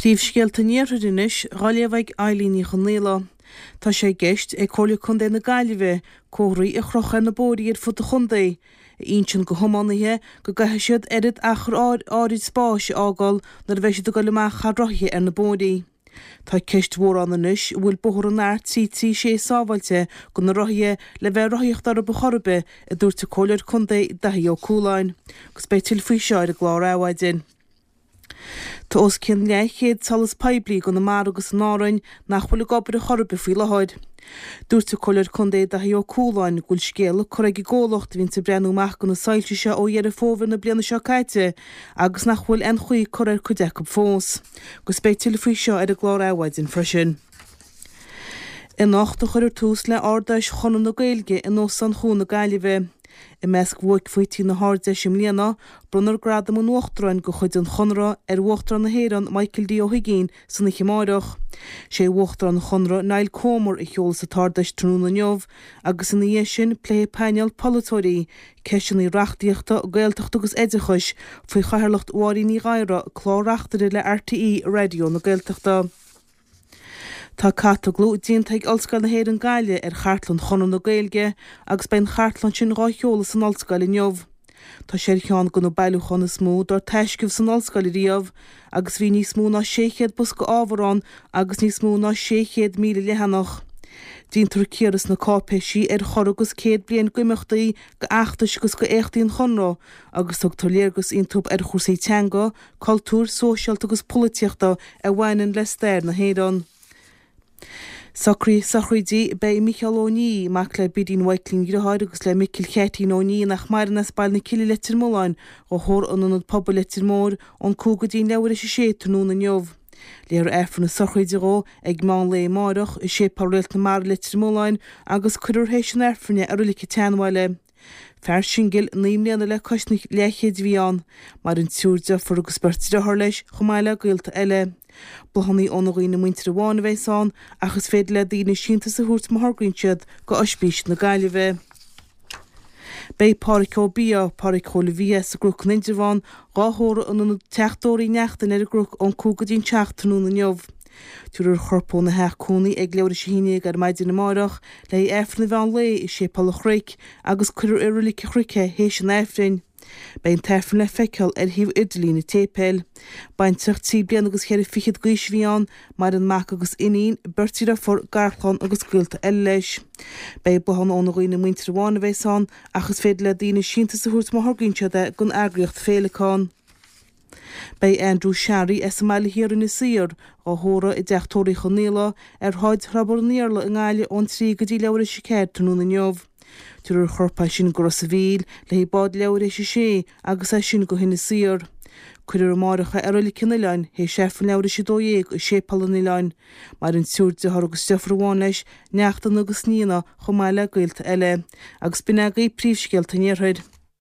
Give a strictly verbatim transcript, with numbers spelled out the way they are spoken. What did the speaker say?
Príomhscéalta an Iarthair anois, dhá léamh ag Eileen Ní Chonghaile. Tá sé i gceist ag Comhairle Contae na Gaillimhe comharthaí a chrochadh ar na bóithrí ar fud an chontae, a insíonn go thiománaithe go gcaithfidh siad oiread achar áirid spáis a fhágáil nuair a bheidh siad ag dul amach thar rothaithe ar na bóithrí. Tá ceist mhór ann anois an bhfuil bóthar an R trí trí sé sábháilte go na rothaithe le bheith ag rothaíocht orthu ar chor ar bith, a dúirt an Comhairleoir Contae Daithí Ó Cualáin. Agus beidh tuilleadh faoi seo ar an gclár Adhmhaidin. Tá os cionn leathchéad solas poiblí i gConamara agus in Árainn nach bhfuil ag obair ar chor ar bith faoi láthair. Dúirt an Comhairleoir Contae Daithí Ó Cualáin go bhfuil scéala curtha ag an gcomhlacht a bhíonns ag breathnú amach go na soilse seo ó Dheireadh Fómhair na bliana seo caite agus nach bhfuil aon chaoi curtha ar cuid acu fós. Agus beidh tuilleadh faoi seo ar an gclár Adhmhaidin freisin. Anocht a chuirfear tús le Ard-Fheis Chonradh na Gaeilge in Óstán Chuan na Gaillimhe. I measc bhuaicphointí na hArd-Fheise i mbliana, bronnfar Gradam an Uachtaráin de chuid an Chonartha ar Uachtarán na hÉireann Michael D. Ó hUigínn san oíche amárach. Sé Uachtarán an Chonartha Niall Comer a sheolfas an tArd-Fheis tráthnóna inniu agus ina dhiaidh sin pléifidh painéal polaiteoirí ceisteanna reachtaíochta, Gaeltachta agus oideachais faoi chathaoirleacht Mháirín Ní Ghadhra, clár-reachtaire le RTÉ Raidió na Gaeltachta. Tá catalóg déanta ag Ollscoil na hÉireann Gaillimh ar chartlann Chonradh na Gaeilge agus beidh an chartlann sin dhá sheoladh san ollscoil inniu. Tá sé ar cheann de na bailiúcháin is mó dár taisceadh san ollscoil ariamh agus bhí níos mó ná sé chéad bosca ábhar ann agus níos mó ná sé chéad míle leathanach. Déantar cíoradh sna cáipéisí ar chorradh agus céad bliain d'imeachtaí, d'fheachtais agus d'éachtaí an Chonradh agus tugtar léargas iontu ar chúrsaí teanga, cultúir, sóisialta agus polaitíochta a bhaineann le stair na hÉireann. Sochraidí Beidh Micheál Ó Ní, mac le Bidín Mhaidhcilín dheartháir agus le Micil Cheaitín Ó Ní nach maireann as Baile na Cille Leitir Mealláin, dhá thórramh in Ionad Pobail Leitir Móir ón cúig go dtí an leathuair théis a sé tráthnóna inniu. Léifear Aifreann na sochraide dhó ag meán lae amárach i Séipéal Réalt na Mara Leitir Mealláin agus cuirfear théis an Aifrinn é i Reilig an tSeanbhaile. Fear singil naoi mbliana le cois an leathchéid a bhí ann. Maireann triúr deirfiúr agus beirt deartháir leis, chomh maith le gaolta eile. Bláthanna óna dhaoine muinteartha amháin a bheas ann, ach is féidir le daoine síntiús a thabhairt má thograíonn siad go Oispís na Gaillimhe. Beidh Pádhraic Ó Biadha, Pádhraic Chóil Mhícheáil as an gCnoc in Indreabhán, dhá thórramh in ionad Teach Dóraí Neachtain ar an gCnoc ón cúig go dtí an seacht tráthnóna inniu. Tabharfar a chorp óna theach cónaí ag leathuair théis a haon déag ar maidin amárach le haghaidh Aifreann an mheán lae i Séipéal an Chnoic agus cuirfear i Reilig an Chnoic é théis an Aifrinn. Beidh an t-Aifreann le feiceáil ar shuíomh idirlín an tséipéil. Baintreach trí bliana agus cheithre fichead d'aois a bhí ann, maireann mac agus iníon, beirt dheirfiúr, garchlann agus gaolta eile leis. Beidh bláthanna óna dhaoine muinteartha amháin a bheas ann ach is féidir le daoine síntiús a thabhairt má thograíonn siad é don eagraíocht Féileacán. Beidh Andrew Sharry as an mBaile Thiar Inis Oírr, dhá thórramh i dTeach Tórraimh Uí Chonghaile ar Shráid Throbar an Iarla i nGaillimh ón trí go dtí leathuair théis a ceathair tráthnóna inniu. Tabharfar a chorp as sin go Ros a' Mhíl le haghaidh bád leathuair théis a sé agus as sin go hInis Oírr. Cuirfear amárach é i Reilig an Oileáin théis Aifreann leathuair théis a dó dhéag i Séipéal an Oileáin. Maireann triúr dearthár agus deirfiúr amháin leis, neachtanna agus nianna chomh maith le gaolta eile. Agus b'in agaibh príomhscéalta an Iarthair.